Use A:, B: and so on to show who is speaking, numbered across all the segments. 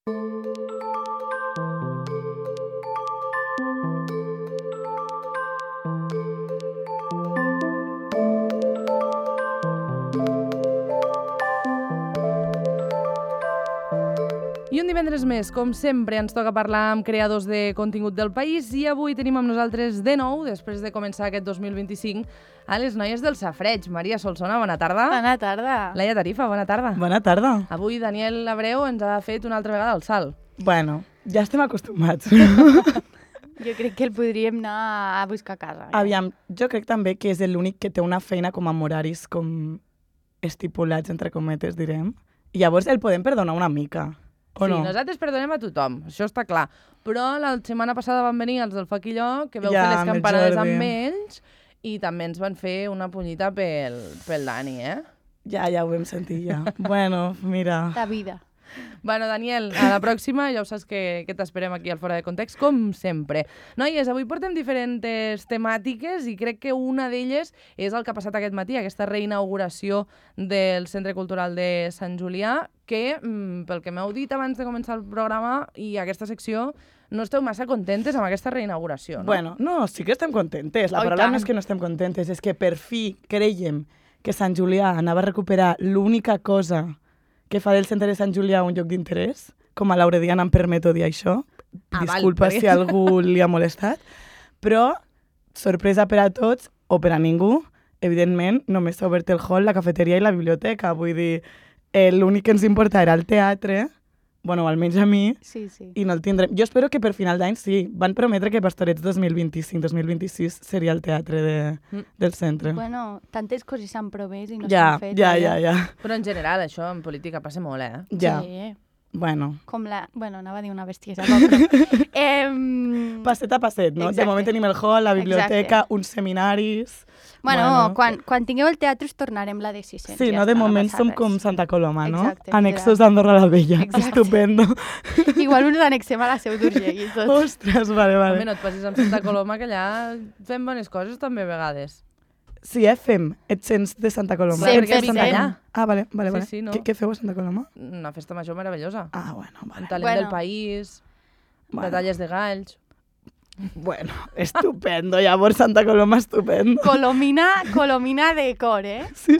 A: I un divendres més, com sempre, ens toca parlar amb creadors de contingut del país i avui tenim amb nosaltres de nou, després de començar aquest 2025, a les noies del Safareig. Maria Solsona, bona tarda.
B: Bona tarda.
A: Laia Tarifa, bona tarda.
C: Bona tarda.
A: Avui Daniel Abreu ens ha fet una altra vegada el salt.
C: Bueno, ja estem acostumats.
B: Jo crec que el podríem anar a buscar a casa.
C: Aviam, jo crec també que és l'únic que té una feina com amb horaris com estipulats, entre cometes, direm. I llavors el podem perdonar una mica. O
A: Sí,
C: no?
A: nosaltres perdonem a tothom, això està clar. Però la setmana passada van venir els del Faquilló, que veu
C: Ja,
A: fer les
C: amb el
A: campanades
C: Jordi.
A: amb ells, i també ens van fer una punyita pel Dani, eh?
C: Ja ho vam sentir, ja. Bueno, mira.
B: La vida.
A: Bueno, Daniel, a la pròxima ja ho saps que t'esperem aquí al Fora de Context, com sempre. Noies, avui portem diferents temàtiques i crec que una d'elles és el que ha passat aquest matí, aquesta reinauguració del Centre Cultural de Sant Julià, que, pel que m'heu dit abans de començar el programa i aquesta secció, no esteu massa contentes amb aquesta reinauguració, no?
C: Bueno, no, sí que estem contentes. La
A: Oh, i
C: paraula
A: tant.
C: no és que no estem contentes, és que per fi creiem que Sant Julià anava a recuperar l'única cosa que fa del centre de Sant Julià un lloc d'interès, com a l'Aurediana em permeto dir això. Disculpa
A: val,
C: si algú li ha molestat. Però, sorpresa per a tots o per a ningú, evidentment, només s'ha obert el hall, la cafeteria i la biblioteca. Vull dir, l'únic que ens importa era el teatre, bueno, almenys a mi,
B: Sí, sí.
C: i no el tindrem. Jo espero que per final d'any sí. Van prometre que Pastorets 2025-2026 seria el teatre del centre.
B: Bueno, tantes coses s'han promès i no
C: Ja,
B: s'han fet.
C: ja.
A: Però en general això en política passa molt, eh?
C: Ja,
B: Sí.
C: bueno.
B: Com la... Bueno, anava a dir una bestiesa, però...
C: Passet a passet, no? De
B: Exacte.
C: moment tenim el hall, la biblioteca,
B: Exacte.
C: uns seminaris...
B: Bueno, quan tingueu el teatre us tornarem la de 600.
C: Sí,
B: ja
C: no? De
B: està,
C: moment
B: passa
C: som
B: res.
C: com Santa Coloma, no?
B: Exacte,
C: Annexos d'Andorra la Vella.
B: Exacte.
C: Estupendo.
B: Igual us annexem a la Seu d'Urgell i tot.
C: Ostres, vale.
A: Home, no et passis amb Santa Coloma, que allà fem bones coses també a vegades.
C: Sí, fem. Ets cents de Santa Coloma.
B: Sí,
C: Ets de
B: perquè
C: Santa
B: visem.
C: Coloma. Ah, vale.
A: Sí, no?
C: Què feu a Santa Coloma?
A: Una festa major meravellosa.
C: Ah, bueno,
A: Un
C: vale.
A: talent
B: Bueno.
A: del país,
C: Bueno.
A: batalles de galls...
C: Bueno, estupendo. Llavors Santa Coloma, estupendo.
B: Colomina de cor, eh?
C: Sí.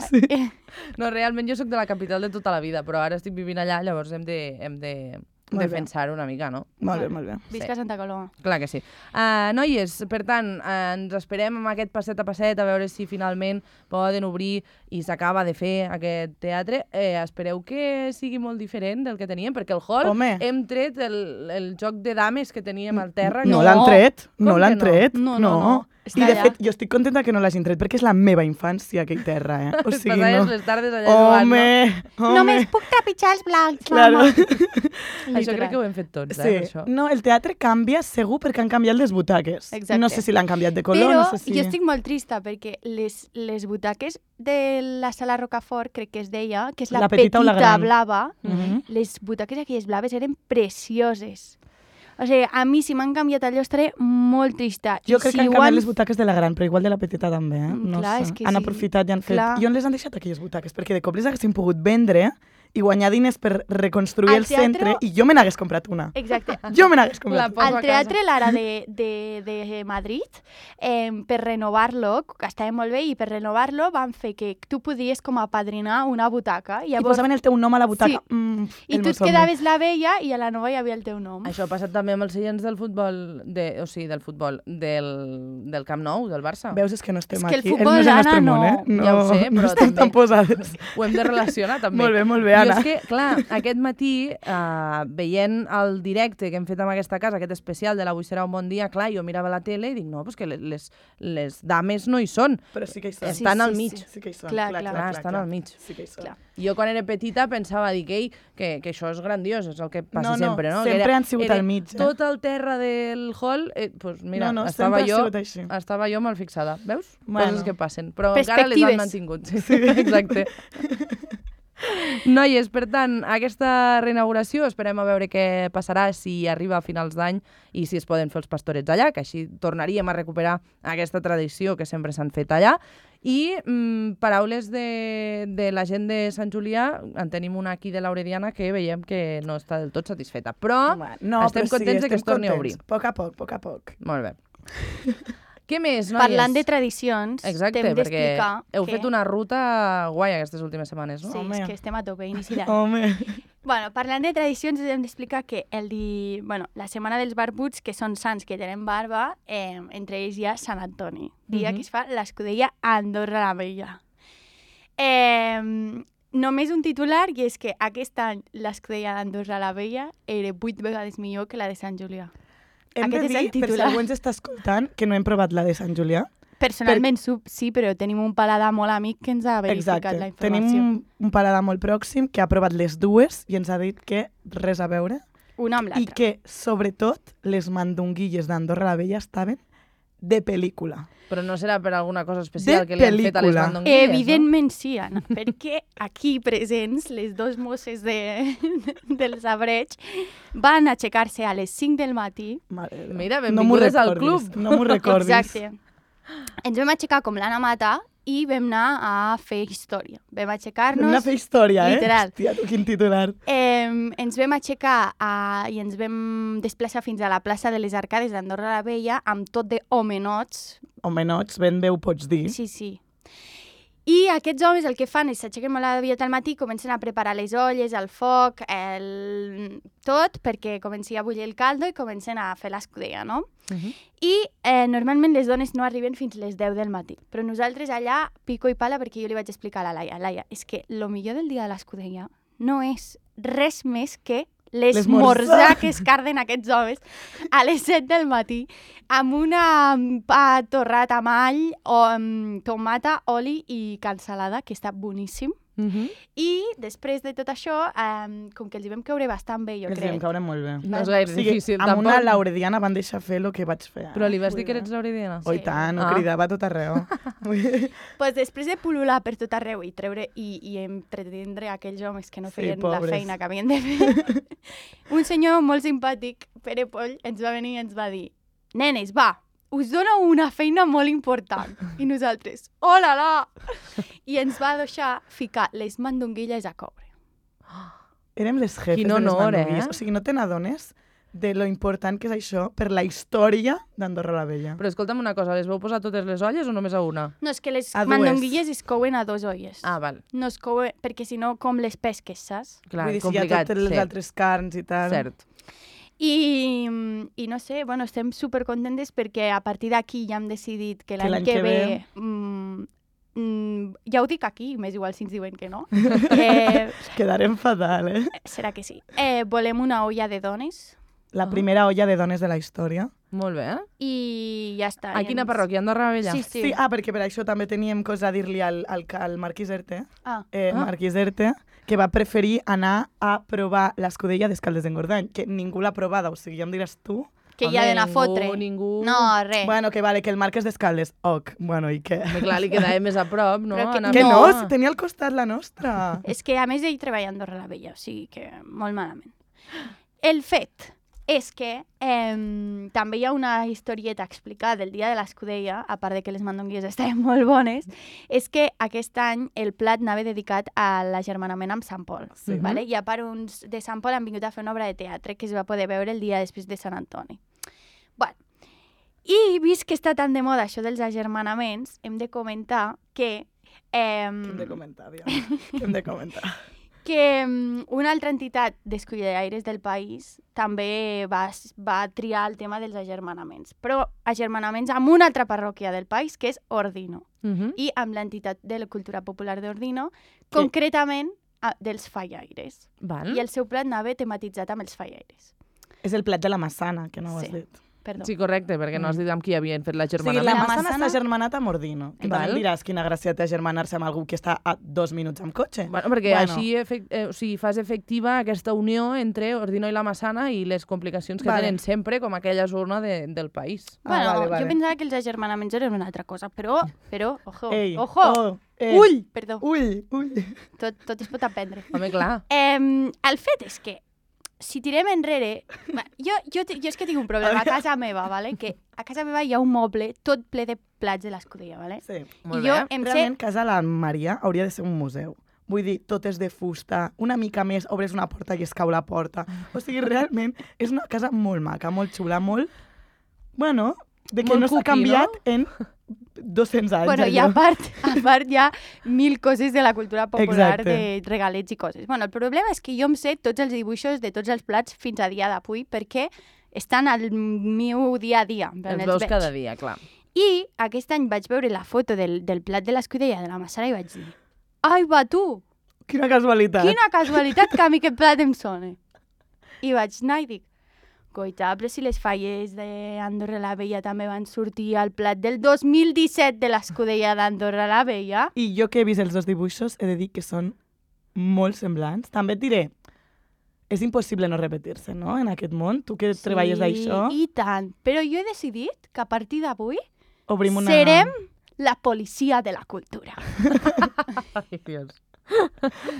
A: No, realment jo sóc de la capital de tota la vida, però ara estic vivint allà, llavors hem de
C: Molt bé.
A: defensar una mica, no?
C: Molt bé.
B: Visca Santa Coloma.
A: Clar que sí. Noies, per tant, ens esperem amb aquest passet a passet a veure si finalment poden obrir i s'acaba de fer aquest teatre. Espereu que sigui molt diferent del que teníem, perquè el hall
C: Home.
A: hem tret el joc de dames que teníem al terra.
C: No
A: que-
C: l'han tret,
A: Com
C: no
A: que
C: l'han
A: no?
C: tret.
B: No.
C: I
B: Està
C: de
B: allà.
C: fet, jo estic contenta que no l'hagin tret, perquè és la meva infància, aquell terra, eh? O sigui,
A: Passaves
C: no...
A: les tardes allà jugant, no?
B: Només puc trepitjar els blancs,
C: Claro.
B: mama.
A: Això crec que ho hem fet tots,
C: Sí.
A: per això.
C: No, el teatre canvia segur perquè han canviat les butaques.
B: Exacte.
C: No sé si l'han canviat de color,
B: Però
C: no sé si...
B: jo estic molt trista perquè les butaques de la sala Rocafort, crec que es deia, que és la,
C: La petita o la gran?
B: blava,
C: Mhm.
B: les butaques aquelles blaves eren precioses. O sigui, a mi si m'han canviat allò estaré molt trista.
C: Jo
B: I
C: crec
B: si
C: que han
B: ho
C: canviat les butaques de la gran, però igual de la petita també, eh? No
B: Clar,
C: sé.
B: és que
C: Han
B: sí.
C: aprofitat i han fet...
B: Clar.
C: I on les han deixat aquelles butaques? Perquè de cop les haguessin pogut vendre i guanyar diners per reconstruir
B: Al
C: el centre
B: teatre-
C: i jo me n'hagués comprat una.
B: Exacte.
C: Jo me n'hagués
A: La
C: comprat
A: poso
C: una.
A: a
B: Al Teatre Lara de Madrid, per renovar-lo, que estava molt bé, i per renovar-lo van fer que tu podies com apadrinar una butaca.
C: I
B: Llavors,
C: posaven el teu nom a la butaca.
B: Sí. I
C: el
B: tu
C: meu
B: et
C: somni.
B: quedaves la vella i a la nova hi havia el teu nom.
A: Això ha passat també amb els seients del futbol, del Camp Nou, del Barça.
C: Veus, és que no estem
B: És que el
C: aquí.
B: futbol,
C: no és el nostre
B: Anna,
C: món,
B: no.
C: eh? No,
A: Ja ho sé,
C: no
A: però
C: estem
A: també-
C: tan posades.
A: Ho hem de relacionar també.
C: Molt bé, Anna.
A: Jo és que, clar, aquest matí, veient el directe que hem fet amb aquesta casa, aquest especial de l'Avui serà un bon dia, clar, jo mirava la tele i dic, no, pues que les dames no hi són.
C: Però sí que hi són.
A: Estan al mig.
C: Sí que hi són.
B: Clar,
A: estan al mig.
C: Sí que hi són.
B: Clar.
A: Jo quan era petita pensava, dic, ei, que això és grandiós, és el que passa
C: No,
A: sempre, no?
C: sempre
A: Que
C: han sigut
A: era
C: al mig, eh?
A: Tot el terra del hall, pues mira,
C: No,
A: estava
C: sempre ha
A: jo
C: sigut així.
A: estava jo mal fixada, veus?
C: Bueno.
A: Coses que passen, però encara les han
B: Perspectives.
A: mantingut. Sí. Exacte. Noies, per tant, aquesta reinauguració esperem a veure què passarà si arriba a finals d'any i si es poden fer els pastorets allà, que així tornaríem a recuperar aquesta tradició que sempre s'han fet allà. I paraules de la gent de Sant Julià, en tenim una aquí de l'Aurediana que veiem que no està del tot satisfeta, però estem contents que es torni a obrir.
C: A poc a poc.
A: Molt bé. Què més, noies?
B: Parlant de tradicions,
A: exacte,
B: t'hem
A: perquè
B: d'explicar
A: heu
B: que...
A: fet una ruta guai aquestes últimes setmanes, no?
B: Sí, és que estem a tope, inici d'any.
C: Home.
B: Bueno, parlant de tradicions, us hem d'explicar que la setmana dels barbuts, que són sants que tenen barba, entre ells hi ha Sant Antoni, dia que es fa l'escudella a Andorra la Vella. Només un titular, i és que aquest any l'escudella d'Andorra la Vella era 8 vegades millor que la de Sant Julià.
C: Hem de dir, per si algú ens està escoltant, que no hem provat la de Sant Julià.
B: Personalment sí, però tenim un paladar molt amic que ens ha verificat la informació.
C: Tenim un paladar molt pròxim que ha provat les dues i ens ha dit que res a veure.
B: Una amb l'altra.
C: I que, sobretot, les mandonguilles d'Andorra la Vella estaven de pel·lícula.
A: Però no serà per alguna cosa especial que li han fet a les mandonguilles,
B: evidentment sí, Anna, perquè aquí presents les dos mosses del sabreig van aixecar-se a les 5 del matí.
A: Mira, benvingudes al club.
C: No m'ho recordis.
B: Exacte. Ens vam aixecar com l'Anna Mata i vam anar a fer història. Vam aixecar-nos...
C: Vam anar a fer història,
B: literal.
C: Hòstia, tu quin titular.
B: Ens vam aixecar i ens vam desplaçar fins a la plaça de les Arcades d'Andorra la Vella amb tot de homenots.
C: Homenots, ben bé ho pots dir.
B: Sí. I aquests homes el que fan és s'aixequen molt aviat al matí, comencen a preparar les olles, el foc, tot, perquè comenci a bullir el caldo i comencen a fer l'escudella, no? I normalment les dones no arriben fins les 10 del matí, però nosaltres allà pico i pala perquè jo li vaig explicar a la Laia, és que el millor del dia de l'escudella no és res més que l'esmorzar que es carden aquests homes a les 7 del matí amb una pa torrat amb all, o amb tomata, oli i cansalada, que està boníssim. I després de tot això, com que els hi vam caure bastant bé, jo crec.
C: Els hi vam caure molt bé.
A: No és gaire difícil, tampoc.
C: Amb una laurediana van deixar fer el que vaig fer.
A: Però li vas dir que eres laurediana?
C: Oh, i tant, ho cridava a tot arreu.
B: Pues després de pul·lular per tot arreu i treure i entretindre aquells homes que no feien la feina que havien de fer, un senyor molt simpàtic, Pere Poll, ens va venir i ens va dir: nenes, va, us dono una feina molt important. I nosaltres, hola, la! I ens va deixar ficar les mandonguilles a coure.
C: Érem les jefes
A: Quin
C: de les
A: honor,
C: mandonguilles. O sigui, no te n'adones de lo important que és això per la història d'Andorra la Vella.
A: Però escolta'm una cosa, les vau posar totes les olles o només a una?
B: No, és que les
C: A dues.
B: mandonguilles es couen a 2 olles.
A: Ah, val.
B: No es couen, perquè si no, com les pesques, saps?
A: Clar,
C: Vull dir, si hi
A: complicat.
C: ha totes les altres carns i tal.
A: Cert.
B: I no sé, bueno, estem supercontentes perquè a partir d'aquí ja hem decidit que l'any
C: l'any
B: que
C: que
B: ve... ja ho dic aquí, m'és igual si ens diuen que no.
C: Quedarem fatal,
B: Serà que sí. Volem una olla de dones.
C: La primera olla de dones de la història.
A: Molt bé.
B: I ja està.
A: A quina parròquia? Andorra la Vella?
B: Sí.
C: Sí, perquè per això també teníem cosa a dir-li al Marquís Erte. Marquís Erte, que va preferir anar a provar l'escudella d'Escaldes d'Engordany, que ningú l'ha provada, o sigui, ja em diràs tu.
B: Que hi ha d'anar a fotre.
A: Ningú.
B: No, res.
C: Bueno, que vale, que el Marc és d'Escaldes. Bueno, i què?
A: Clar, li quedava més a prop, no?
C: Que no, si tenia al costat la nostra.
B: És que a més ell treballa a Andorra la Vella, o sigui que molt malament. El fet és que també hi ha una historieta explicada del dia de l'escudella, a part de que les mandonguilles estaven molt bones, és que aquest any el plat anava dedicat a l'agermanament amb Sant Pol.
C: Sí.
B: Vale? I a part uns de Sant Pol han vingut a fer una obra de teatre que es va poder veure el dia després de Sant Antoni. Bueno, i vist que està tan de moda això dels agermanaments, hem de comentar que...
C: Què hem de comentar, Diana? Què hem de comentar?
B: Que una altra entitat d'escullaires del país també va triar el tema dels agermanaments, però agermanaments amb una altra parròquia del país, que és Ordino, i amb l'entitat de la cultura popular d'Ordino, concretament dels fallaires.
A: Val.
B: I el seu plat anava tematitzat amb els fallaires.
C: És el plat de la massana, que no ho has dit.
B: perdó.
A: Sí, correcte, perquè no has dit amb qui havien fet
C: O sigui,
A: l'agermanament.
C: la
B: La
C: Massana
B: Massana-
C: està germanat amb Ordino. Que
A: Val.
C: també em diràs quina gràcia té germanar-se amb algú que està a 2 minuts amb cotxe.
A: Bueno, perquè així fas efectiva aquesta unió entre Ordino i la Massana i les complicacions que
C: Vale.
A: tenen sempre com aquella zona del país.
B: Bueno,
C: vale.
B: jo pensava que els agermanaments eren una altra cosa, però ojo,
C: Ei,
B: ojo,
C: oh,
B: ull, perdó,
C: Ull.
B: tot es pot aprendre.
A: Home, clar.
B: El fet és que, si tirem enrere... Jo és que tinc un problema a casa meva, ¿vale? Que a casa meva hi ha un moble tot ple de plats de l'Escudella, ¿vale?
C: Sí.
A: Molt
B: I jo
A: bé.
B: em sé...
C: Realment, casa la Maria hauria de ser un museu. Vull dir, tot és de fusta, una mica més obres una porta i es cau la porta. O sigui, realment, és una casa molt maca, molt xula, molt... Bueno, de que
A: Molt
C: no s'ha
A: cookie,
C: canviat
A: no?
C: en 200 anys.
B: Bueno, i a
C: allò.
B: part hi ha 1000 coses de la cultura popular,
C: Exacte.
B: de regalets i coses. Bueno, el problema és que jo em sé tots els dibuixos de tots els plats fins a dia d'avui perquè estan al meu dia a dia.
A: Els veus cada dia, clar.
B: I aquest any vaig veure la foto del plat de l'Escudella de la Massana i vaig dir ai, va, tu!
C: Quina casualitat.
B: Quina casualitat que a mi aquest plat em sona. I vaig anar i dic, coita, però si les falles d'Andorra la Vella també van sortir al plat del 2017 de l'Escudella d'Andorra la Vella.
C: I jo que he vist els dos dibuixos he de dir que són molt semblants. També et diré, és impossible no repetir-se, no?, en aquest món. Tu que treballes d'això,
B: I tant. Però jo he decidit que a partir d'avui
C: obrim una...
B: serem la policia de la cultura.
A: Ai, Dios.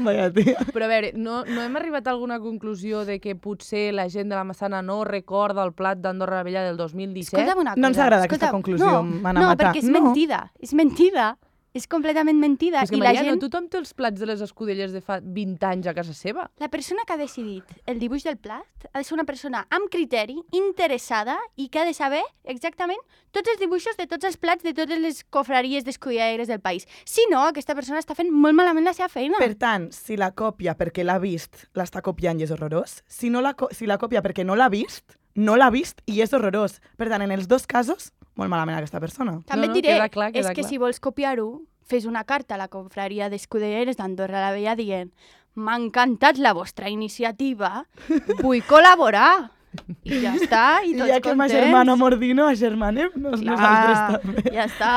C: Vaya, tia.
A: Però a veure, no hem arribat a alguna conclusió de que potser la gent de la Massana no recorda el plat d'Andorra la Vella del 2017?
B: Escolta'm una cosa.
C: No ens agrada aquesta conclusió, m'han a
B: no,
C: matar.
B: perquè és
C: No.
B: mentida. És mentida. És completament mentida.
A: És que,
B: I la
A: Maria,
B: gent...
A: no tothom té els plats de les escudelles de fa 20 anys a casa seva.
B: La persona que ha decidit el dibuix del plat ha de ser una persona amb criteri, interessada i que ha de saber exactament tots els dibuixos de tots els plats de totes les cofraries d'escudillaires del país. Si no, aquesta persona està fent molt malament la seva feina.
C: Per tant, si la còpia perquè l'ha vist, l'està copiant i és horrorós. Si la còpia perquè no l'ha vist, no l'ha vist i és horrorós. Per tant, en els dos casos, molt malament aquesta persona.
B: També
A: No,
B: et diré,
A: queda clar,
B: és
A: queda
B: que
A: clar.
B: si vols copiar-ho, fes una carta a la confraria d'escudillaires d'Andorra la Vella dient m'ha encantat la vostra iniciativa, vull col·laborar. I ja està, i
C: I
B: tots
C: ja que m'agermano Mordino, agermanem-nos nosaltres també.
B: Ja està.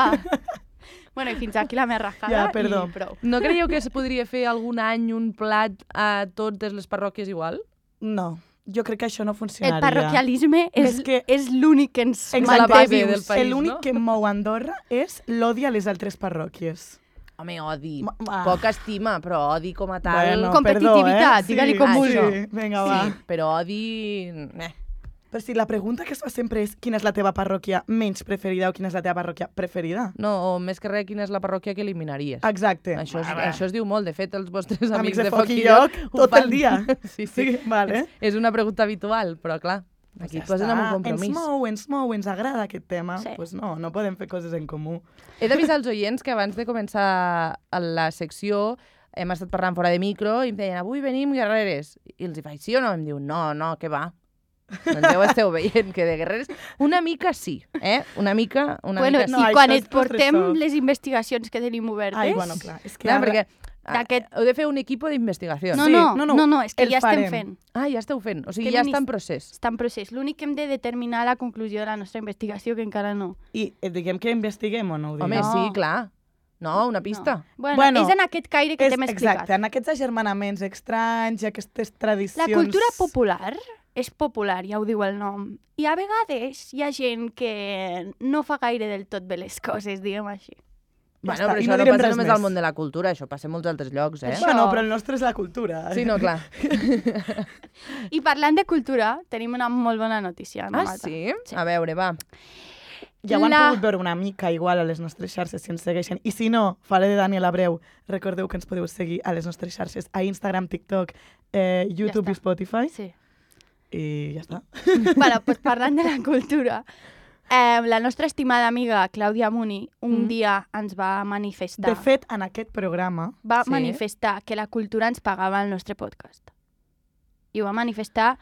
B: Bueno, i fins aquí la meva rajada
C: Ja, perdó.
B: i prou.
A: No creieu que es podria fer algun any un plat a totes les parròquies igual?
C: No, jo crec que això no
B: El
C: funcionaria.
B: parroquialisme
C: És que-
B: és l'únic que ens
A: És la
B: manté
A: base
B: vius.
A: del país,
C: L'únic
A: no?
C: que mou Andorra és l'odi a les altres parròquies.
A: Home, odi.
C: Va.
A: Poca estima, però odi com a tal...
C: Bueno,
B: competitivitat,
C: perdó,
B: digue-li com
C: sí,
A: vulgui.
C: Vinga, va.
A: Sí, però odi...
C: Però si la pregunta que es fa sempre és quina és la teva parròquia menys preferida o quina és la teva parròquia preferida.
A: No, o més que res, quina és la parròquia que eliminaries.
C: Exacte.
A: Això es diu molt. De fet, els vostres amics
C: de
A: de
C: Foc i
A: Lloc
C: Lloc
A: ho
C: tot
A: fan.
C: el dia.
A: Sí.
C: Sí, vale.
A: És una pregunta habitual, però clar, aquí et posen amb un compromís.
C: Ens mou, ens agrada aquest tema.
B: Sí.
C: Pues no podem fer coses en comú.
A: He d'avisar als oients que abans de començar la secció hem estat parlant fora de micro i em deien, avui venim guerreres. I els hi faig, sí o no? Em diu, no, què va? Doncs ja ho esteu veient, que de guerreres... Una mica sí, Una mica
B: Bueno,
A: sí.
C: no,
B: i
C: això
B: quan
C: és
B: et portem
C: post-resolt.
B: les investigacions que tenim obertes...
C: Ai, bueno, clar. És que
A: Clar,
C: ara-
A: perquè
B: d'aquest-
A: heu de fer un equip d'investigació.
B: No,
C: Sí,
B: no, és que
C: el
B: ja estem
C: farem.
B: fent.
A: Ah, ja esteu fent. O sigui,
B: Que
A: ja està en procés.
B: Està en procés. L'únic que hem de determinar la conclusió de la nostra investigació, que encara no.
C: I diguem que investiguem o no ho diguem?
A: Home,
B: No.
A: sí, clar. No, una pista.
B: No. Bueno,
C: Bueno,
B: és en aquest caire que t'hem explicat.
C: Exacte, en aquests agermanaments estranys i aquestes tradicions...
B: La cultura popular és popular, ja ho diu el nom. I a vegades hi ha gent que no fa gaire del tot bé les coses, diguem així.
C: Ja
A: Bueno,
C: està,
A: però
C: i
A: això
C: no
A: no
C: direm
A: passa
C: res
A: només
C: més.
A: al món de la cultura, això passa en molts altres llocs,
B: Això-
C: Bueno, però el nostre és la cultura.
A: Sí, no, clar.
B: I parlant de cultura, tenim una molt bona notícia. No,
A: Ah,
B: Marta?
A: sí? A veure, va.
C: Ja ho han
B: La-
C: pogut veure una mica igual a les nostres xarxes si ens segueixen. I si no, faré de Daniel Abreu. Recordeu que ens podeu seguir a les nostres xarxes, a Instagram, TikTok, YouTube
B: està.
C: i Spotify.
B: Sí.
C: I ja està.
B: Bueno, doncs parlant de la cultura, la nostra estimada amiga Clàudia Muni un dia ens va manifestar...
C: De fet, en aquest programa...
B: va
A: Sí.
B: manifestar que la cultura ens pagava el nostre podcast. I ho va manifestar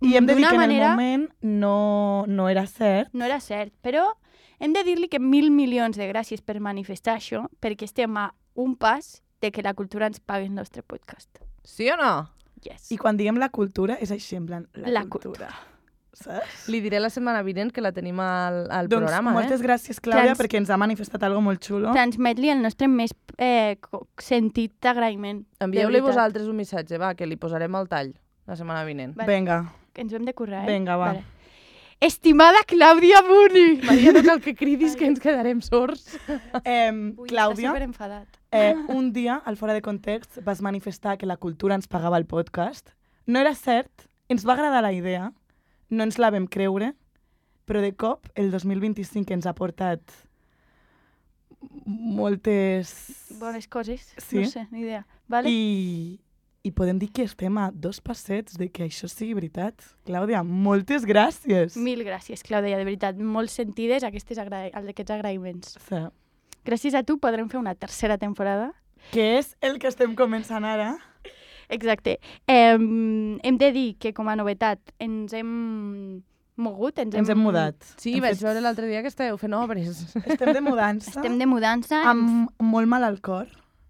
C: I hem de dir
B: d'una
C: que en
B: manera...
C: el moment no era cert.
B: No era cert, però hem de dir-li que 1.000 milions de gràcies per manifestar això, perquè estem a un pas de que la cultura ens pagui el nostre podcast.
A: Sí o no?
B: Yes.
C: I quan diem la cultura és així, en plan, la
B: La
C: cultura. saps?
A: Li diré la setmana vinent que la tenim al
C: Doncs
A: programa,
C: moltes gràcies, Clàudia,
B: Trans-
C: perquè ens ha manifestat algo molt xulo.
B: Transmet-li el nostre més sentit d'agraïment.
A: Envieu-li
B: de veritat.
A: vosaltres un missatge, va, que li posarem el tall la setmana vinent.
B: Vale.
C: Vinga.
B: Que ens ho hem de currar,
C: Vinga, va.
B: Estimada Clàudia Buni!
A: Maria, no cal que cridis que ens quedarem sords.
B: Ui,
C: Clàudia,
B: està superenfadat.
C: un dia, al Fora de Context, vas manifestar que la cultura ens pagava el podcast. No era cert, ens va agradar la idea, no ens la vam creure, però de cop el 2025 ens ha portat moltes...
B: Bones coses,
C: Sí.
B: no sé, ni idea. Vale?
C: I podem dir que estem a 2 passets de que això sigui veritat. Clàudia, moltes gràcies.
B: Mil gràcies, Clàudia, de veritat. Molt sentides aquests agraïments.
C: Sí.
B: Gràcies a tu podrem fer una tercera temporada.
C: Que és el que estem començant ara.
B: Exacte. Hem de dir que, com a novetat, ens hem mogut,
C: Ens hem mudat.
A: Sí,
C: Hem
A: vaig
C: fet-
A: veure l'altre dia que esteu fent obres.
C: Estem de mudança.
B: Estem de mudança.
C: Amb molt mal al cor,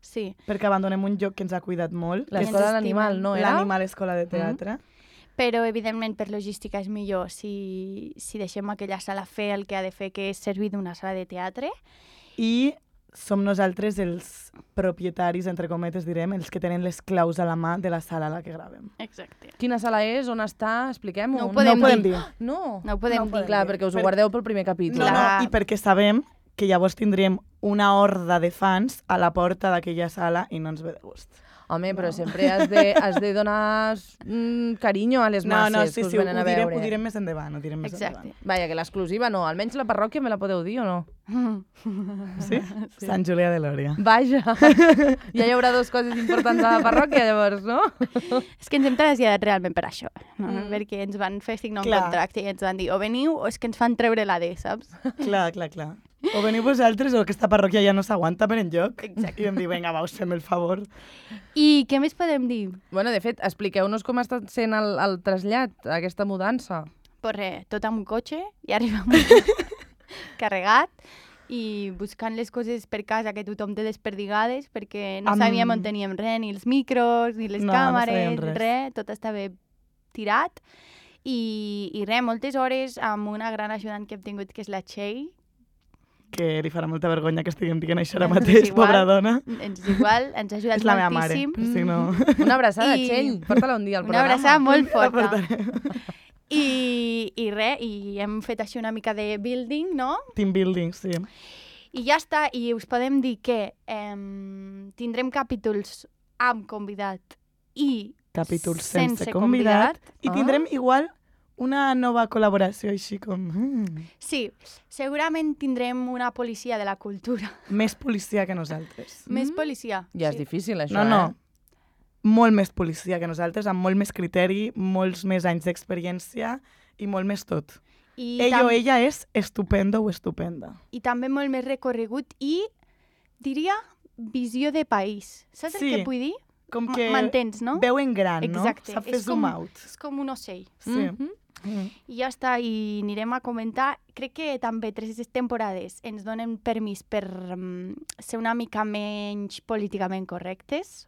B: Sí.
C: perquè abandonem un lloc que ens ha cuidat molt. que és
A: L'escola
B: ens
A: d'animal,
B: estimen.
A: no era?
C: L'Animal Escola de Teatre.
B: Però, evidentment, per logística és millor si deixem aquella sala fer el que ha de fer, que és servir d'una sala de teatre.
C: I som nosaltres els propietaris, entre cometes direm, els que tenen les claus a la mà de la sala a la que gravem.
B: Exacte.
A: Quina sala és? On està? Expliquem-ho.
B: No ho podem
C: no ho podem
B: dir.
C: dir.
A: No.
B: No ho podem dir.
A: Clar, perquè us ho
C: Per-
A: guardeu pel primer capítol.
C: No, no,
B: Clar.
C: i perquè sabem que llavors tindríem una horda de fans a la porta d'aquella sala i no ens ve de gust.
A: Home, però sempre has de donar carinyo a les masses que us
C: sí,
A: venen a veure.
C: ho direm més endavant, ho direm més
B: Exacte.
C: endavant.
A: Vaja, que l'exclusiva no. Almenys la parròquia me la podeu dir o no?
C: Sí? Sant Julià de Lòria.
A: Vaja. Ja hi haurà dues coses importants a la parròquia, llavors, no?
B: És que ens hem traslladat realment per això, no? Perquè ens van fer signar un
C: Clar.
B: contracte i ens van dir o veniu o és que ens fan treure l'AD, saps?
C: Clar, clar, clar. O veniu vosaltres o aquesta parròquia ja no s'aguanta per enlloc.
B: Exacte.
C: I vam dir, vinga, va, us fem el favor.
B: I què més podem dir?
A: Bueno, de fet, expliqueu-nos com ha estat sent el trasllat, aquesta mudança.
B: Pues res, tot amb un cotxe i arribem carregat i buscant les coses per casa que tothom té desperdigades perquè no
C: Amb-
B: sabíem on teníem res, ni els micros, ni les
C: No, no
B: càmeres,
C: sabíem res.
B: res, tot estava tirat. I res, moltes hores amb una gran ajudant que hem tingut, que és la Txell.
C: Que li farà molta vergonya que estiguem dient això ara
B: Ens és
C: mateix,
B: igual.
C: pobra dona.
B: Ens és igual, ens ha ajudat
C: És la meva mare,
B: moltíssim.
C: per si no...
A: Una abraçada,
B: I-
A: Txell. Porta-la un dia al
B: Una
A: programa.
B: abraçada molt
C: La
B: forta.
C: portarem.
B: I res, i hem fet així una mica de building, no?
C: Team building, sí.
B: I ja està, i us podem dir que tindrem capítols amb convidat i
C: Capítols sense convidat. I
A: Ah.
C: tindrem igual una nova col·laboració així com...
B: Sí, segurament tindrem una policia de la cultura.
C: Més policia que nosaltres.
B: Més policia.
A: Ja és
B: sí.
A: difícil, això,
C: No, no.
A: eh?
C: Molt més policia que nosaltres, amb molt més criteri, molts més anys d'experiència i molt més tot.
B: I,
C: Ell o ella és estupendo o estupenda.
B: I també molt més recorregut i, diria, visió de país. Saps
C: Sí.
B: el que vull dir?
C: Com que
B: M'entens, no?
C: veu en gran,
B: Exacte.
C: no? Sap fer
B: És
C: zoom
B: com-
C: out.
B: És com un ocell.
C: Sí.
A: Mhm.
B: I ja està, i anirem a comentar. Crec que també 3 temporades ens donen permís per ser una mica menys políticament correctes,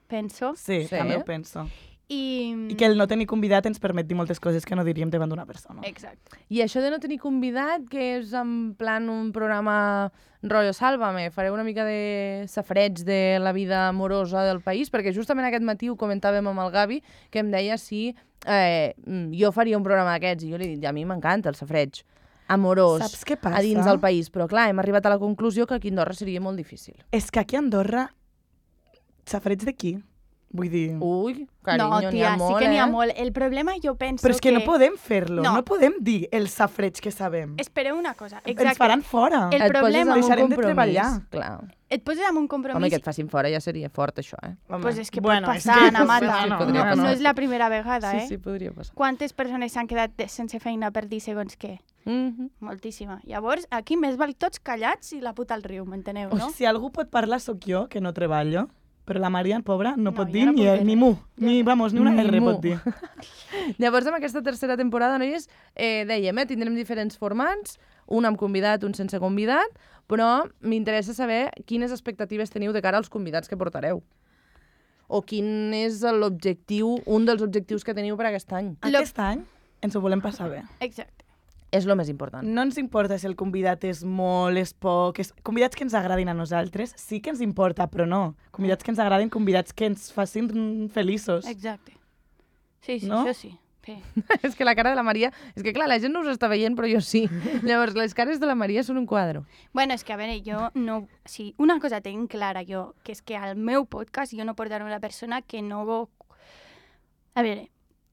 B: penso.
C: Sí,
A: Sí.
C: també ho penso.
B: I
C: I que el no tenir convidat ens permet dir moltes coses que no diríem davant d'una persona.
B: Exacte.
A: I això de no tenir convidat, que és en plan un programa rotllo Sálvame, fareu una mica de safreig de la vida amorosa del país, perquè justament aquest matí ho comentàvem amb el Gavi, que em deia si jo faria un programa d'aquests, i jo li he dit, a mi m'encanta el safreig amorós
C: Saps què passa?
A: a dins del país, però clar, hem arribat a la conclusió que aquí a Andorra seria molt difícil.
C: És que aquí a Andorra, safareig d'aquí. Vull dir...
A: Ui, carinyo,
B: No,
A: n'hi
B: tia,
A: ha molt,
B: sí que n'hi ha
A: eh?
B: molt. El problema jo penso
C: Però és que no podem fer-lo,
B: No.
C: no podem dir el safreig que sabem.
B: Espereu una cosa,
C: Ens
B: exacte.
C: faran fora.
B: El
A: Et poses
B: problema-
A: amb un
C: Deixarem de
A: compromís,
C: treballar.
A: Clar.
B: Et poses amb un compromís.
A: Home, que et facin fora ja seria fort, això, eh?
C: Home,
B: Pues és que
C: bueno,
B: pot
C: és
B: passar,
C: que-
B: Ana Mata.
A: Sí, podria
B: no,
A: passar.
B: no és la primera vegada, eh?
A: Sí, sí, podria passar.
B: Quantes persones s'han quedat sense feina per dir segons què? Moltíssima. Llavors, aquí més val tots callats i la puta al riu, m'enteneu, no?
C: Si algú pot parlar sóc jo, que no treballo, però la Maria, pobra, no pot
B: jo
C: dir
B: no
C: ni,
B: puc dir
C: ni
B: res.
C: mu, ni, vamos, ni una
A: Ni
C: R
A: mu.
C: pot dir.
A: Llavors, amb aquesta tercera temporada, noies, dèiem, tindrem diferents formats, un amb convidat, un sense convidat, però m'interessa saber quines expectatives teniu de cara als convidats que portareu. O quin és l'objectiu, un dels objectius que teniu per aquest any.
B: Lo-
C: Aquest any ens ho volem passar bé.
B: Exacte.
A: És el més important.
C: No ens importa si el convidat és molt, és poc... Convidats que ens agradin a nosaltres, sí que ens importa, però no. Convidats que ens agradin, convidats que ens facin feliços.
B: Exacte. Sí,
C: No?
B: això sí. Sí.
A: És que la cara de la Maria... És que clar, la gent no us està veient, però jo sí. Llavors, les cares de la Maria són un quadre.
B: Bueno, és que, a veure, jo no... Sí, una cosa tinc clara jo, que és que al meu podcast jo no portaré una persona que no... A veure,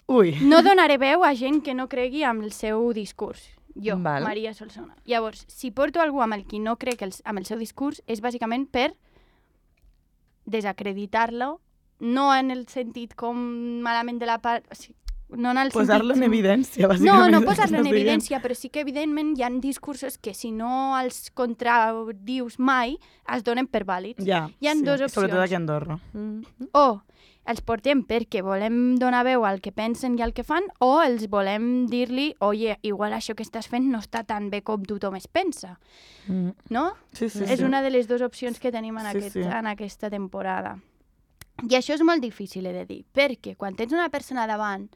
C: Ui.
B: no donaré veu a gent que no cregui amb el seu discurs. Jo,
A: Val.
B: Maria Solsona. Llavors, si porto algú amb el qui no crec amb el seu discurs, és bàsicament per desacreditar-lo, no en el sentit com malament de la part... O sigui, no en el
C: Posar-lo en
B: sentit...
C: evidència, bàsicament.
B: No
C: és el que
B: posar-lo en
C: estàs dient.
B: evidència, però sí que evidentment hi ha discursos que si no els contradius mai, es donen per vàlids.
C: Ja,
B: Hi ha dues opcions.
C: Sobretot aquí a Andorra.
B: O els portem perquè volem donar veu al que pensen i al que fan, o els volem dir-li, oye, igual això que estàs fent no està tan bé com tothom es pensa, no?
C: Sí, sí,
B: És
C: sí.
B: una de les dues opcions que tenim en,
C: Sí, sí.
B: en aquesta temporada. I això és molt difícil, he de dir, perquè quan tens una persona davant,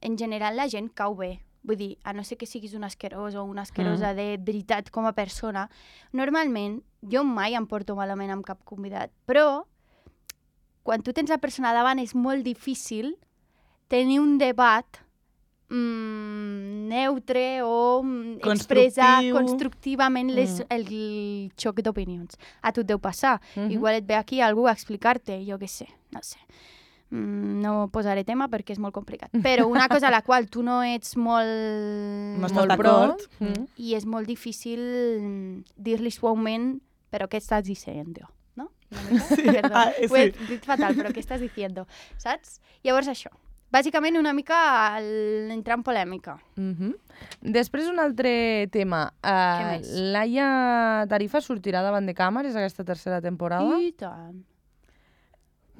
B: en general la gent cau bé. Vull dir, a no ser que siguis un asquerós o una asquerosa de veritat com a persona, normalment jo mai em porto malament amb cap convidat, però quan tu tens la persona davant és molt difícil tenir un debat neutre o expressar constructivament el xoc d'opinions. A tu et deu passar. Igual et ve aquí algú a explicar-te, jo què sé, no sé. No posaré tema perquè és molt complicat. Però una cosa a la qual tu no ets molt...
C: No estàs d'acord.
B: I és molt difícil dir-li suaument però què estàs dient, no?
C: Sí,
B: Perdó,
C: sí.
B: ho he dit fatal, però què estàs dient, saps? Llavors això. Bàsicament una mica entrar en polèmica.
A: Després un altre tema.
B: Què més?
A: Laia Tarifa sortirà davant de càmeres aquesta tercera temporada?
B: I tant.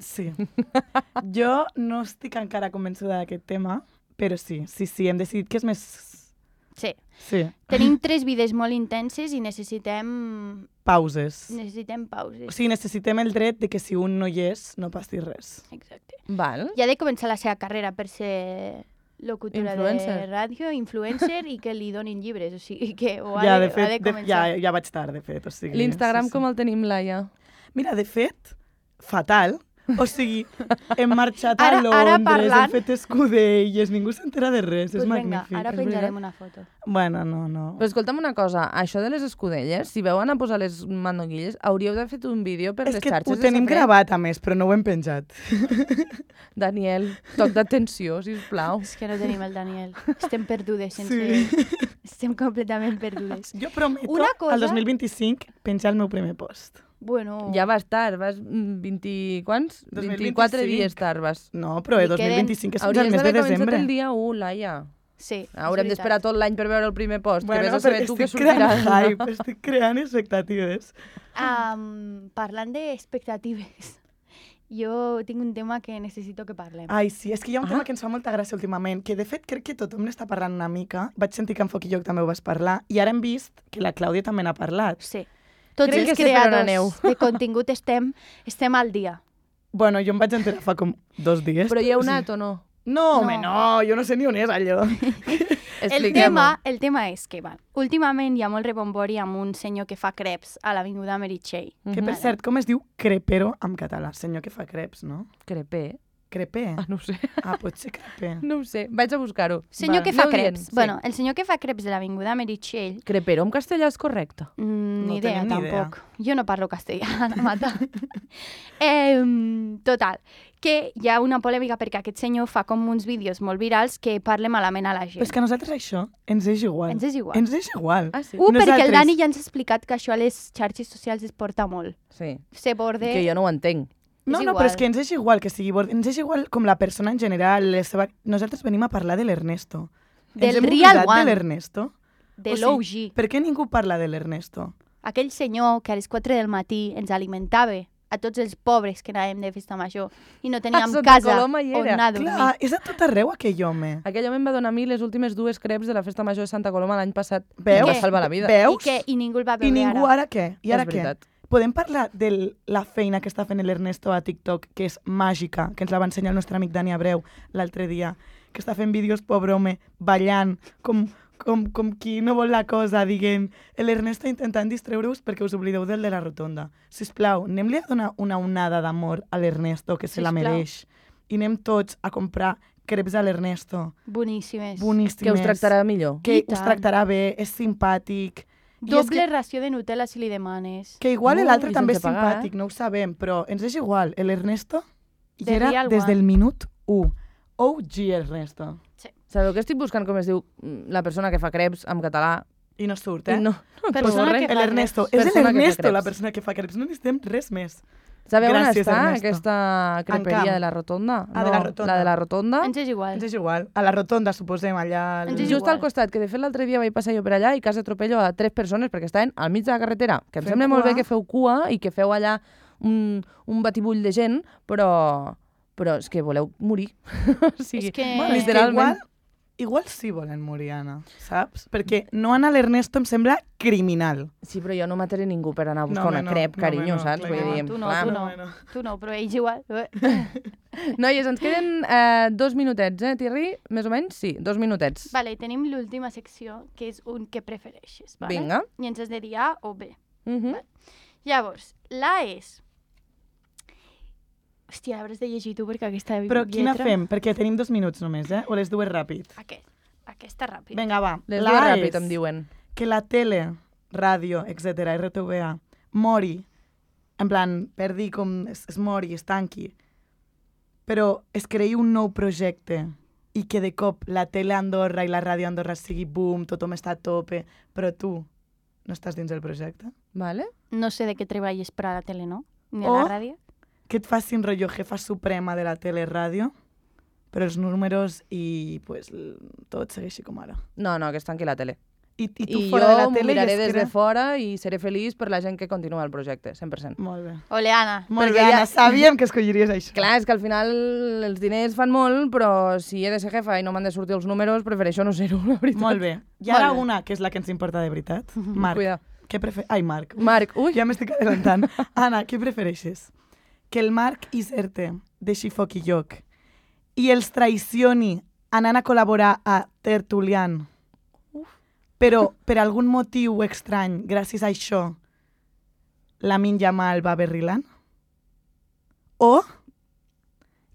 C: Sí. Jo no estic encara convençuda d'aquest tema, però sí, hem decidit que és més...
B: Sí.
C: Sí.
B: Tenim 3 vides molt intenses i necessitem
C: Pauses.
B: pauses.
C: O sigui, necessitem el dret de que si un no hi és, no passi res.
B: Exacte.
A: Val.
B: Ja ha de començar la seva carrera per ser locutora
A: Influencer.
B: de ràdio, influencer, i que li donin llibres. O sigui, que ho ha
C: Ja,
B: de,
C: de fet,
B: ha de començar.
C: ja vaig tard, de fet. O sigui,
A: L'Instagram com el tenim, Laia?
C: Mira, de fet, fatal. O sigui, hem marxat
B: Ara
C: a Londres,
B: parlant-
C: hem fet escudelles, ningú s'entera de res, és
B: Pues vinga,
C: magnífic.
B: ara
C: És
B: penjarem
C: veritat.
B: una foto.
C: Bueno, no.
A: Però escolta'm una cosa, això de les escudelles, si veu anar a posar les mandoguilles, hauríeu de fer un vídeo per
C: És
A: les
C: que
A: xarxes
C: ho
A: de
C: tenim
A: saber.
C: gravat, a més, però no ho hem penjat.
A: Daniel, toc d'atenció, sisplau.
B: És que no tenim el Daniel. Estem perdudes sense ell. Estem completament perdudes.
C: Jo prometo,
B: Una cosa-
C: al 2025, penjar el meu primer post.
B: Bueno,
A: Ja vas tard, vas 20... Quants? 24
C: 2025.
A: dies tard vas.
C: No, però
B: Li
C: 2025 és fins al
A: Hauries
C: mes de
A: d'haver començat
C: desembre.
A: el dia 1, Laia.
B: sí.
A: Haurem d'esperar tot l'any per veure el primer post, que vés a
C: però
A: saber tu què
C: estic
A: sortirà.
C: creant hype, estic creant expectatives.
B: Parlant d'expectatives, jo tinc un tema que necessito que parlem.
C: Ai, sí, és que hi ha un tema que ens fa molta gràcia últimament, que de fet crec que tothom n'està parlant una mica. Vaig sentir que en Foc i Lloc també ho vas parlar, i ara hem vist que la Clàudia també n'ha parlat.
B: Sí. Tots
A: Crec
B: els
A: que sé per on aneu.
B: creadors de contingut estem al dia.
C: Bueno, jo em vaig enterar fa com 2 dies.
A: Però hi heu anat o no?
C: No, home, no, jo no sé ni on és allò.
B: El tema és que, últimament hi ha molt rebombori amb un senyor que fa creps a l'Avinguda Meritxell.
C: Que, per cert, com es diu crepero en català? Senyor que fa creps, no?
A: Crepé?
C: Crepé?
A: Ah, no ho sé.
C: Ah, pot ser crepé.
A: No ho sé. Vaig a buscar-ho.
B: Senyor
A: Va,
B: que fa
A: aneu dient,
B: creps.
A: sí.
B: Bueno, el senyor que fa creps de l'Avinguda Meritxell,
A: Crepero en castellà és correcte.
B: ni idea,
C: tenim ni idea.
B: tampoc. Jo no parlo castellà, mata. Total, que hi ha una polèmica perquè aquest senyor fa com uns vídeos molt virals que parla malament a la gent.
C: Però és que a nosaltres això ens és igual.
B: Ens és igual.
C: Ens és igual.
A: Ah, sí?
B: Perquè el
C: Nosaltres-
B: Dani ja ens ha explicat que això a les xarxes socials es porta molt.
A: Sí.
B: Se borde...
A: Que jo no ho entenc.
C: No,
B: és
C: no,
B: igual.
C: però és que ens és igual que sigui bord. Ens és igual com la persona en general. Nosaltres venim a parlar de l'Ernesto.
B: Del
C: Ens hem
B: Real
C: oblidat
B: One.
C: de l'Ernesto?
B: de
C: O sigui,
B: l'OG.
C: Per què ningú parla de l'Ernesto?
B: Aquell senyor que a les 4 del matí ens alimentava a tots els pobres que anàvem de festa major i no teníem
A: Santa
B: casa
A: Coloma hi
B: on
A: era.
B: anar a dormir.
C: Clar, és a tot arreu aquell home.
A: Aquell home em va donar a mi les últimes 2 creps de la festa major de Santa Coloma l'any passat.
C: Veus?
A: Em va salvar la vida.
C: Veus?
B: I ningú el va
C: I
B: veure
C: ningú
B: ara.
C: ara què? I ara
A: És
C: què?
A: veritat.
C: Podem parlar de la feina que està fent l'Ernesto a TikTok, que és màgica, que ens la va ensenyar el nostre amic Dani Abreu l'altre dia, que està fent vídeos, pobre home, ballant, com qui no vol la cosa, diguem. L'Ernesto intentant distreure-us perquè us oblideu del de la rotonda. Sisplau, anem-li a donar una onada d'amor a l'Ernesto, que se la mereix. I anem tots a comprar creps a l'Ernesto.
B: Boníssimes.
C: Boníssimes.
A: Que us tractarà millor.
C: Que us tractarà bé, és simpàtic.
B: Doble ració de Nutella si li demanes.
C: Que igual
A: I
C: l'altre també és
A: sense pagar,
C: simpàtic, no ho sabem, però ens és igual. L'Ernesto hi
B: The
C: era
B: real
C: des
B: one.
C: del minut 1. OG Ernesto.
A: Sabeu que estic buscant com es diu la persona que fa creps en català?
C: I no surt,
A: I
C: eh?
A: no.
B: Persona que fa
C: L'Ernesto.
B: crepes.
C: És
A: Persona que fa
C: l'Ernesto
A: crepes.
C: la persona que fa crepes. No necessitem res més.
A: Sabeu on
C: Gràcies,
A: està
C: Ernesto.
A: aquesta
C: En
A: creperia
C: Camp.
A: de la Rotonda?
C: Ah, de la Rotonda.
A: La de la Rotonda.
B: Ens és igual.
C: Ens és igual. A la rotonda, suposem, allà...
B: Ens és
A: Just
B: igual.
A: al costat, que de fet l'altre dia vaig passar jo per allà i quasi atropello a 3 persones perquè estaven al mig de la carretera. Que em
C: Fem
A: sembla molt
C: cua.
A: bé que feu cua i que feu allà un batibull de gent, però és que voleu morir. O sigui,
B: És que-
C: Bueno, és que
A: literalment.
C: igual sí volen morir, Anna, saps? Perquè no anar a l'Ernesto em sembla criminal.
A: Sí, però jo no mataré ningú per anar a buscar
C: No,
A: una
C: home, no.
A: crep,
C: No,
A: carinyo,
C: home, no,
A: saps?
C: clar
A: Vull
C: que
A: dir,
B: no. Tu no,
A: clar.
B: tu
C: No,
B: no.
C: no.
B: Tu no, però ells igual.
A: Noies, ens queden 2 minutets, Thierry? Més o menys? Sí, 2 minutets.
B: Vale, tenim l'última secció, que és un que prefereixes. Vale?
A: Vinga.
B: I ens has de dir A o B.
A: Mhm.
B: Llavors, l'A és... Hòstia, l'hauràs de llegir tu perquè aquesta
C: Però quina
B: lletra...
C: fem? Perquè tenim 2 minuts només, eh? O les dues ràpid?
B: Aquesta ràpid.
C: Vinga, va.
A: Les
C: La
A: dues
C: A
A: ràpid,
C: és
A: em diuen.
C: que la tele, ràdio, etc., RTVA, mori, en plan, perdi com es mori, es tanqui, però es creï un nou projecte i que de cop la tele a Andorra i la ràdio a Andorra sigui boom, tothom està a tope, però tu no estàs dins del projecte?
A: Vale?
B: No sé de què treballes per a la tele, no? Ni a
C: O-
B: la ràdio.
C: Que et facin rotllo jefa suprema de la tele ràdio, però els números i pues, tot segueixi com ara.
A: No, que es tanqui la tele.
C: I tu
A: I
C: fora de la
A: jo m'ho
C: tele
A: miraré
C: i es
A: des de
C: crea-
A: fora i seré feliç per la gent que continua el projecte, 100%.
C: Molt bé.
B: Ole, Anna.
C: Molt
A: Perquè
C: bé,
A: ja-
C: Anna, sabíem que escolliries això.
A: Clar, és que al final els diners fan molt, però si he de ser jefa i no m'han de sortir els números, prefereixo no ser-ho, la veritat.
C: Molt bé. I ara
B: Molt bé.
C: una, que és la que ens importa de veritat. Marc,
A: Cuida.
C: què prefereixes? Ai, Marc.
A: Marc, ui,
C: Ja m'estic adelantant. Anna, què prefereixes? Que el Marc Iserte deixi foc i lloc i els traicioni anant a col·laborar a Tertulian, però per algun motiu estrany, gràcies a això, Lamine Yamal va a Berrilan? O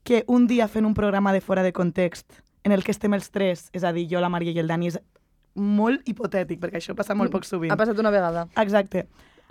C: que un dia fent un programa de fora de context en el que estem els tres, és a dir, jo, la Maria i el Dani, és molt hipotètic, perquè això passa molt poc sovint.
A: ha passat una vegada.
C: Exacte.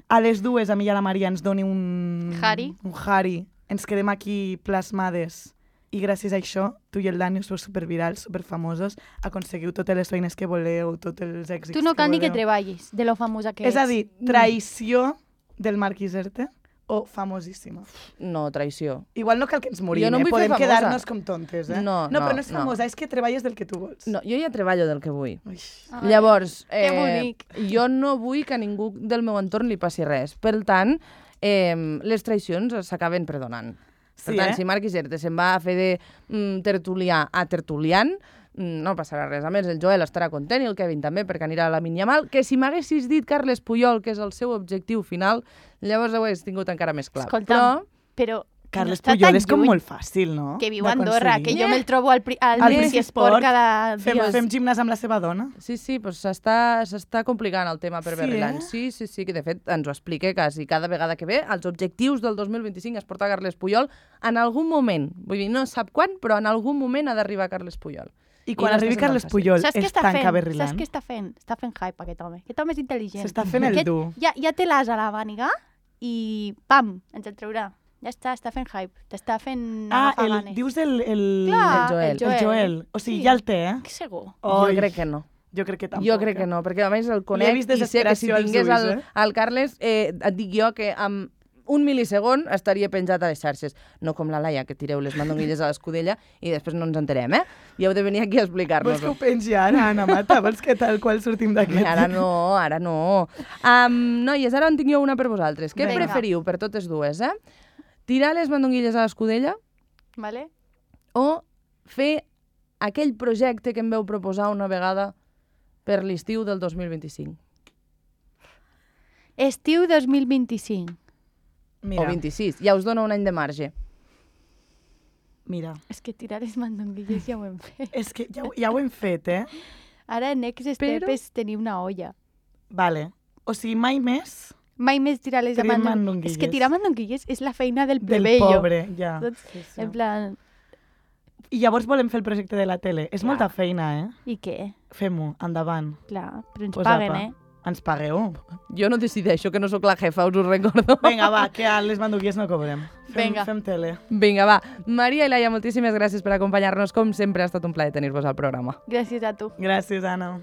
C: A les dues, a mi i a la Maria ens doni un...
B: Hari.
C: Un hari. Ens quedem aquí plasmades. I gràcies a això, tu i el Dani sou supervirals, superfamosos, aconseguiu totes les feines que voleu, tots els èxits
B: Tu no cal ni que
C: voleu.
B: treballis, de lo famosa que
C: És
B: ets.
C: a dir, traïció del Marc Iserte o famosíssima.
A: No, traïció.
C: Igual no cal que ens morim,
A: Jo no em vull fer
C: podem
A: famosa.
C: quedar-nos com tontes, eh?
A: No,
C: però
A: no,
C: no és
A: no.
C: famosa, és que treballes del que tu vols.
A: No, jo ja treballo del que vull.
C: Ui.
B: Ai,
A: Llavors,
B: que bonic.
A: jo no vull que a ningú del meu entorn li passi res. Per tant, les traïcions s'acaben perdonant. Per
C: Sí,
A: tant,
C: eh?
A: si Marc Iserte se'n va a fer de tertulià a tertulian, no passarà res. A més, el Joel estarà content i el Kevin també, perquè anirà a la Yamal, que si m'haguessis dit Carles Puyol, que és el seu objectiu final, llavors ho hagués tingut encara més clar.
B: Escolta'm, però
C: Carles
B: no està
C: Puyol
B: tan
C: és com
B: lluny,
C: molt fàcil, no?
B: que viu a Andorra, que jo me'l trobo al
C: Al
B: Messi Esport cada
C: Fem,
B: dia.
C: fem gimnàs amb la seva dona.
A: Sí, doncs s'està complicant el tema per
C: Sí,
A: Berrilan.
C: eh?
A: Sí, que de fet ens ho explica quasi cada vegada que ve. Els objectius del 2025 es porta Carles Puyol en algun moment. Vull dir, no sap quan, però en algun moment ha d'arribar Carles Puyol.
C: I quan
A: no
C: arribi
A: està sent
C: Carles
A: tan fàcil.
C: Puyol
B: Saps què
C: es
B: està
C: tanca
B: fent?
C: Berrilan.
B: Saps què està fent? Està fent hype aquest home. Aquest home és intel·ligent.
C: S'està fent el
B: Aquest
C: dur.
B: Ja té l'as a la màniga i pam, ens el traurà. Ja està fent hype. T'està fent
C: Ah,
B: agafar ganes.
C: dius el...
B: Clar,
A: el
C: El Joel. O sigui, ja el té, eh?
B: Segur.
A: Jo crec que no.
C: Jo crec que tampoc.
A: Jo crec que no, perquè a més el conec
C: vist
A: i sé que si
C: desesperació als
A: tingués
C: ulls,
A: el Carles, et dic jo que amb un mil·lisegon estaria penjat a les xarxes. No com la Laia, que tireu les mandonguilles a l'escudella i després no ens enterem, eh? I heu de venir aquí a
C: Vols que ho
A: explicar-nos-ho.
C: pengi ara, Anna Mata? Vols que tal qual sortim d'aquest?
A: Ara no. Noies, ara en tinc jo una per vosaltres. Què
B: Vinga.
A: preferiu per totes dues, eh? Tirar les mandonguilles a l'escudella
B: Vale?
A: o fer aquell projecte que em veu proposar una vegada per l'estiu del 2025?
B: Estiu 2025.
C: Mira,
A: O 26. Ja us dono un any de marge.
C: Mira,
B: És que tirar les mandonguilles ja ho hem fet.
C: és que ja ho hem fet,
B: Ara, next step
A: Però-
B: és tenir una olla.
C: Vale. O sigui, mai més
B: Mai més tirar les
C: Tirar
B: mandonguilles.
C: mandonguilles.
B: És que tirar mandonguilles és la feina del
C: del
B: plebeio.
C: pobre, ja.
B: Saps?
C: Sí, sí.
B: En plan,
C: I llavors volem fer el projecte de la tele. És molta feina,
B: i què?
C: Fem-ho, endavant.
B: Clar, però ens
C: Pues
B: paguen,
C: apa. Ens pagueu.
A: Jo no decideixo, que no sóc la jefa, us ho recordo.
C: Vinga, va, que a les mandonguilles no cobrem.
B: Vinga.
C: Fem tele.
A: Vinga, va. Maria i Laia, moltíssimes gràcies per acompanyar-nos. Com sempre, ha estat un plaer tenir-vos al programa.
B: Gràcies a tu.
C: Gràcies, Anna.